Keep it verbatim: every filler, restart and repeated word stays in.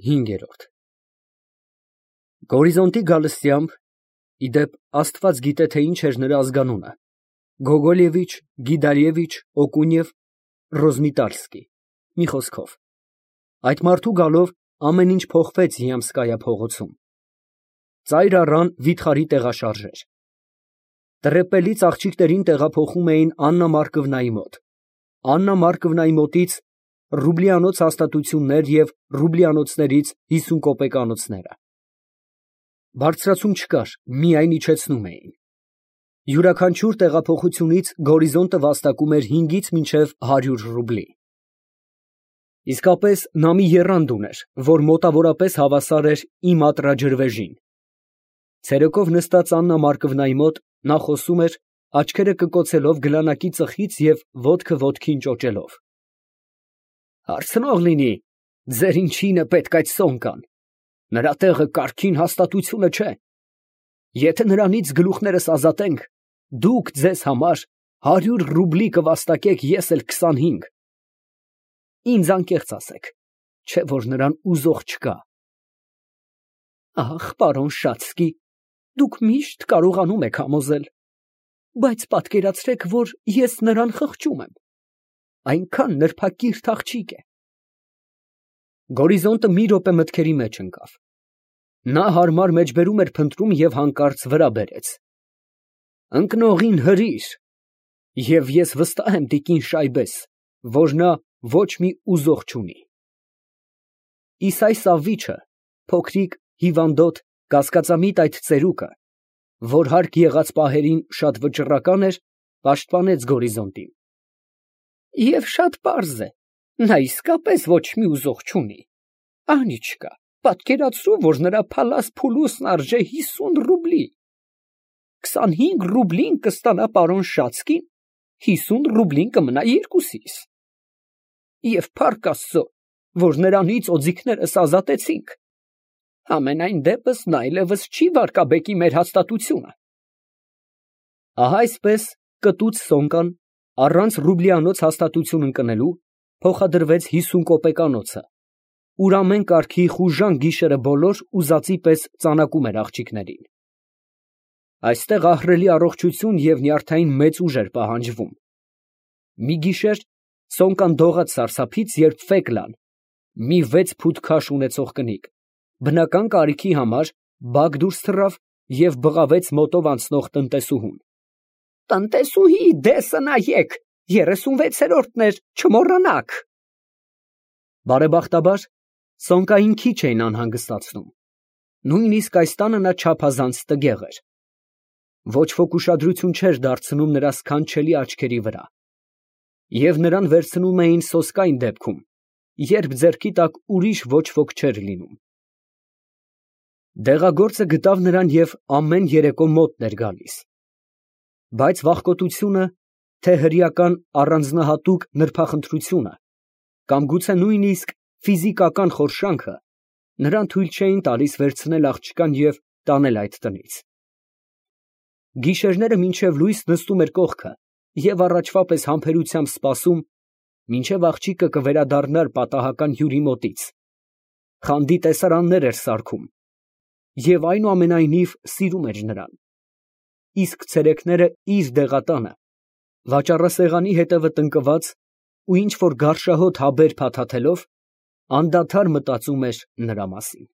ՀԻՆԳԵՐՈՐԴ Գորիզոնտի գալստյամբ (ի դեպ, Աստված գիտե, թե ինչ էր նրա ազգանունը) Գոգոլևիչ, Գիդալևիչ, Օկունև, Ռոզմիտալսկի, մի խոսքով, այդ մարդու գալով ամեն ինչ փոխվեց Յամսկայա փողոցում, ծայր առան վիթխարի տեղաշարժեր, տրեպելից աղջիկներին տեղափոխում էին Աննա Մարկովնայի մոտ, Աննա Մարկովնայի մոտից ռուբլիանոց հաստատություններ և ռուբլիանոցներից հիսուն կոպեկանոցները, բարձրացում չկար, միայն իջեցնում էին, յուրաքանչյուր տեղափոխությունից Գորիզոնտը վաստակում էր հինգից մինչև հարյուր ռուբլի, իսկապես նա մի եռանդ ուներ, որ մոտավորապես հավասար էր իմ ատռաջրվեժին, ցերեկով նստած Աննա Մարկովնայի մոտ, նա խոսում էր, աչքերը կկոցելով գլանակի ծխից և ոտքը ոտքին ճոճելով. Հարցնող լինի, ձեր ինչին է պետք այդ Սոնկան, նրա տեղը կարգին հաստատությունը չէ, եթե նրանից գլուխներս ազատենք, դուք ձեզ համար հարյուր ռուբլի կվաստակեք, ես էլ քսանհինգ, ինձ անկեղծ ասեք, չէ՞ որ նրան ուզող չկա։ Ախ, պարոն Շատսկի, դուք միշտ կարողանում եք համոզել, բայց պատկերացրեք, որ ես նրան խղճում եմ, այնքան նրբակիրթ աղջիկ է։ Գորիզոնտը մի րոպե մտքերի մեջ ընկավ, նա հարմար մեջբերում էր փնտրում և հանկարծ վրա բերեց. Ընկնողին հրիր, և ես վստահ եմ տիկին Շայբես, որ նա ոչ մի ուզող չունի։ Իսայ Սավվիչը, փոքրիկ, հիվանդոտ, կասկածամիտ այդ ծերուկը, որ հարկ եղած պահերին շատ վճռական էր, պաշտպանեց Գորիզոնտին։ Եվ շատ պարզ է, նա իսկապես ոչ մի ուզող չունի, Անիչկա, պատկերացրու, որ նրա փալաս փուլուսն արժե հիսուն ռուբլի, քսանհինգ ռուբլին կստանա պարոն Շացկին, հիսուն ռուբլին կմնա երկուսիս։ Եվ փառք Աստծո, որ նրանից օձիքներս ազատեցինք, համենայն դեպս նա այլևս չի վարկաբեկի մեր հաստատությունը։ Ահա այսպես կտուց Սոնկան, առանց ռուբլիանոց հաստատություն ընկնելու, փոխադրվեց հիսուն կոպեկանոցը, ուր ամեն կարգի խուժան գիշերը բոլոր ուզածի պես ծանակում էր աղջիկներին։ Այստեղ ահռելի առողջություն և նյարդային մեծ ուժ էր պահանջվում։ Մի գիշեր Սոնկան դողաց սարսափից, երբ Ֆեկլան, մի վեց ֆուտ քաշ ունեցող կնիկ, բնական կարիքի համար բակ դուրս թռավ և բղավեց մոտով անցնող տնտեսուհուն. Տնտեսուհի, դեսը նայեք, երեսունվեցերորդն էր, չմոռանաք։ Բարեբախտաբար, Սոնկային քիչ էին անհանգստացնում, նույնիսկ այս տանը նա չափազանց տգեղ էր, ոչ ոք ուշադրություն չէր դարձնում նրա սքանչելի աչքերի վրա, և նրան վերցնում էին սոսկայն դեպքում, երբ ձեռքի տակ ուրիշ ոչ ոք չէր լինում։ Դեղագործը գտավ նրան և ամեն երեկո մոտն էր գալիս, բայց վախկոտությունը, թե հրեական առանձնահատուկ նրբախնդրությունը, կամ գուցե նույնիսկ ֆիզիկական խորշանքը նրան թույլ չէին տալիս վերցնել աղջկան և տանել այդ տնից։ Գիշերները մինչև լույս նստում էր կողքը և առաջվա պես համբերությամբ սպասում, մինչև աղջիկը կվերադառնար պատահական հյուրի մոտից, խանդի տեսարաններ էր սարքում և այնուամենայնիվ սիրում էր նրան, իսկ ցերեկները իր դեղատանը, վաճառասեղանի հետևը տնկված ու ինչ֊որ գարշահոտ հաբեր փաթաթելով, անդադար մտածում էր նրա մասին։